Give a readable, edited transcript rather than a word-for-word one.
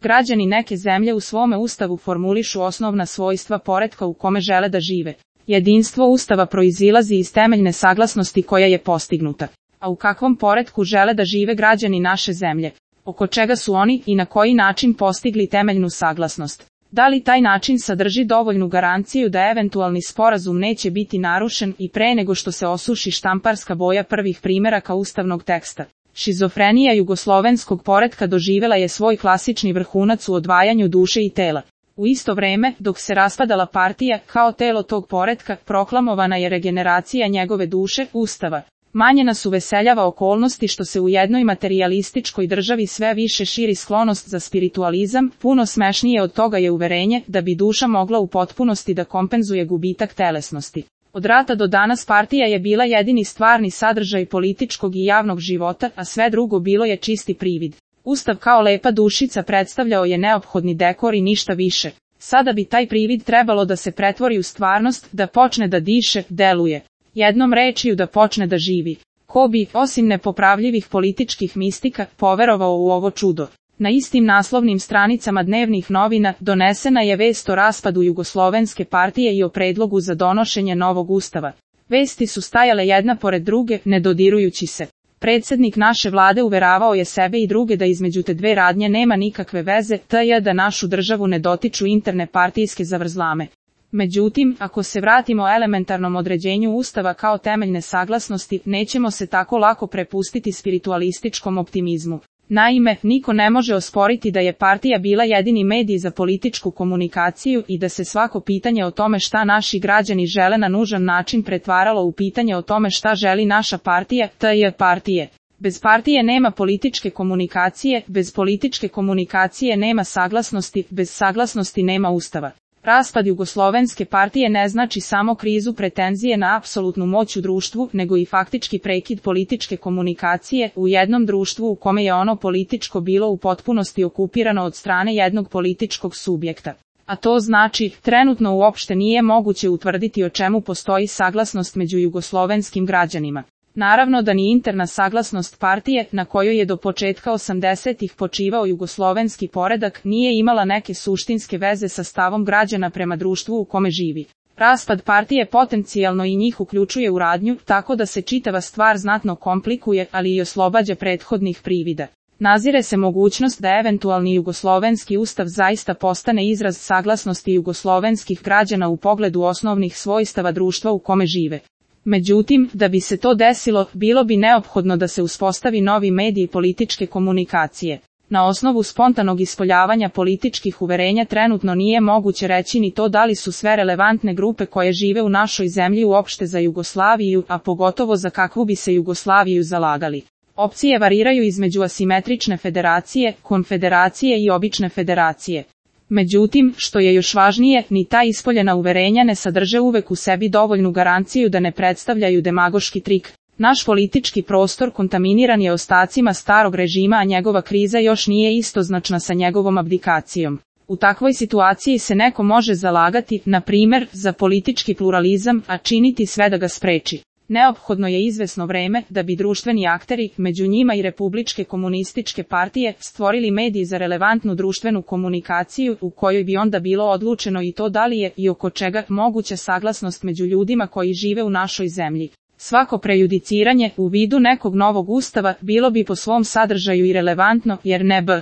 Građani neke zemlje u svome ustavu formulišu osnovna svojstva poretka u kome žele da žive. Jedinstvo ustava proizilazi iz temeljne saglasnosti koja je postignuta. A u kakvom poretku žele da žive građani naše zemlje? Oko čega su oni i na koji način postigli temeljnu saglasnost? Da li taj način sadrži dovoljnu garanciju da eventualni sporazum neće biti narušen i pre nego što se osuši štamparska boja prvih primeraka ustavnog teksta? Šizofrenija jugoslovenskog poretka doživela je svoj klasični vrhunac u odvajanju duše i tela. U isto vreme, dok se raspadala partija, kao telo tog poretka, proklamovana je regeneracija njegove duše, ustava. Manje nas uveseljava okolnosti što se u jednoj materijalističkoj državi sve više širi sklonost za spiritualizam, puno smešnije od toga je uverenje da bi duša mogla u potpunosti da kompenzuje gubitak telesnosti. Od rata do danas partija je bila jedini stvarni sadržaj političkog i javnog života, a sve drugo bilo je čisti privid. Ustav kao lepa dušica predstavljao je neophodni dekor i ništa više. Sada bi taj privid trebalo da se pretvori u stvarnost, da počne da diše, deluje. Jednom rečju da počne da živi. Ko bi, osim nepopravljivih političkih mistika, poverovao u ovo čudo? Na istim naslovnim stranicama dnevnih novina donesena je vest o raspadu Jugoslovenske partije i o predlogu za donošenje novog ustava. Vesti su stajale jedna pored druge, ne dodirujući se. Predsjednik naše vlade uveravao je sebe i druge da između te dve radnje nema nikakve veze, t.j. da našu državu ne dotiču interne partijske zavrzlame. Međutim, ako se vratimo elementarnom određenju ustava kao temeljne saglasnosti, nećemo se tako lako prepustiti spiritualističkom optimizmu. Naime, niko ne može osporiti da je partija bila jedini medij za političku komunikaciju i da se svako pitanje o tome šta naši građani žele na nužan način pretvaralo u pitanje o tome šta želi naša partija, t.j. partije. Bez partije nema političke komunikacije, bez političke komunikacije nema saglasnosti, bez saglasnosti nema ustava. Raspad Jugoslovenske partije ne znači samo krizu pretenzije na apsolutnu moć u društvu, nego i faktički prekid političke komunikacije u jednom društvu u kome je ono političko bilo u potpunosti okupirano od strane jednog političkog subjekta. A to znači, trenutno uopšte nije moguće utvrditi o čemu postoji saglasnost među jugoslovenskim građanima. Naravno da ni interna saglasnost partije, na kojoj je do početka 80-ih počivao jugoslovenski poredak, nije imala neke suštinske veze sa stavom građana prema društvu u kome živi. Raspad partije potencijalno i njih uključuje u radnju, tako da se čitava stvar znatno komplikuje, ali i oslobađa prethodnih privida. Nazire se mogućnost da eventualni jugoslovenski ustav zaista postane izraz saglasnosti jugoslovenskih građana u pogledu osnovnih svojstava društva u kome žive. Međutim, da bi se to desilo, bilo bi neophodno da se uspostavi novi medij političke komunikacije. Na osnovu spontanog ispoljavanja političkih uverenja trenutno nije moguće reći ni to da li su sve relevantne grupe koje žive u našoj zemlji uopšte za Jugoslaviju, a pogotovo za kakvu bi se Jugoslaviju zalagali. Opcije variraju između asimetrične federacije, konfederacije i obične federacije. Međutim, što je još važnije, ni ta ispoljena uverenja ne sadrže uvek u sebi dovoljnu garanciju da ne predstavljaju demagoški trik. Naš politički prostor kontaminiran je ostacima starog režima, a njegova kriza još nije istoznačna sa njegovom abdikacijom. U takvoj situaciji se neko može zalagati, na primjer, za politički pluralizam, a činiti sve da ga spreči. Neophodno je izvesno vreme da bi društveni akteri, među njima i republičke komunističke partije, stvorili medij za relevantnu društvenu komunikaciju u kojoj bi onda bilo odlučeno i to da li je i oko čega moguća saglasnost među ljudima koji žive u našoj zemlji. Svako prejudiciranje u vidu nekog novog ustava bilo bi po svom sadržaju irelevantno, jer ne b.